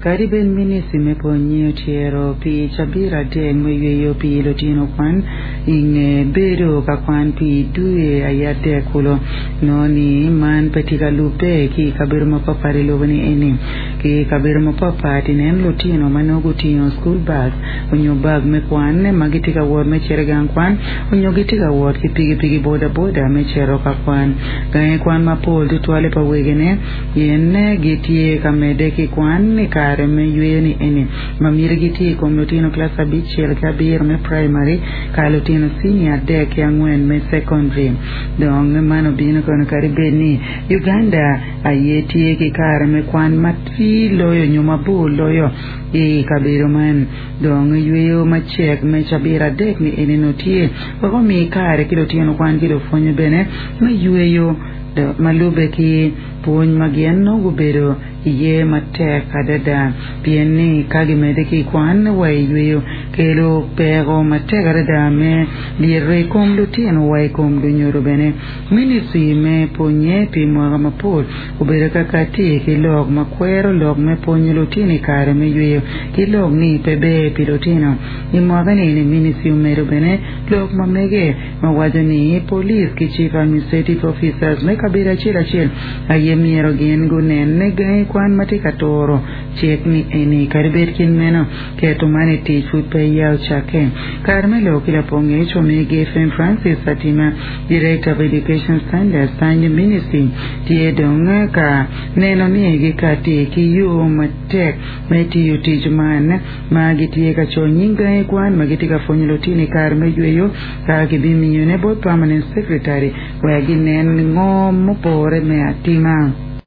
Kadi bed Ministri me Pwonnye otyero pi cabit adek me yweyo pi lutino kwan i nge bedo ka kwan pi dwe aye adek kulu, nongo ni man pe tye ka lubbe ki i kabedo mapatpat i lobo-ni eni. Ki i kabedo mapatpat inen lutino ma nongo gutingo school bag onyo bag me kwan ma gitye ka wot me cito i gang kwan onyo gitye ka wot ki pikipiki boda boda me cito ka kwan. Gangi kwan mapol tutwalle pa wegine Gin gitye ka medde ki kwan i kare me yweyo-ni eni, ma mitigi tye i kom lutino kilac abicel ki abiro me praimari ka lutino cinia adek ki angwen me cekondri. Dong man obino kono kadi bed ni Uganda aye tye ki kare me kwan matir loyo nyo mabor loyo i kabedo man. Dong yweyo macek me cabit adek-ni eni nongo tye wek omi kare ki lutino kwan ki lupwonye bene me yweyo. Ma lubbe ki pwony ma gin nongo gubedo iye matek adada, pien ni ka gimedde ki kwan wa i yweyo, kelo peko matek adada me lyeto i kom lutino wa i kom lunyodo bene. Ministri me pwonye pi mwaka mapol obedo ka kati ki lok ma kwero lok me pwonyo lutino i kare me yweyo ki lok ni pe ber pi lutino. I mwaka-ni, ministri omedo bene lok ma mege. ma waco ni police ki Chief Administrative Officers me kabedo acel acel aye myero gin gunen ni gangi kwan ma tye ka turo cik ni eni. Kadi bed kit meno, keto man i tic pud pe ya ocakke. Kare me lok ki lapong ngec omegi FM Francis Atima, Director of Education Standards Tanyo Ministry tye dong ka neno ni gikati ki yo matek me tiyo tic man. ma gitye ka coyo nying gangi kwan ma gitye ka pwonyo lutino i kare me yweyo ka gibimiyone bot Permanent Secretary wek ginen ngo mupore me atima.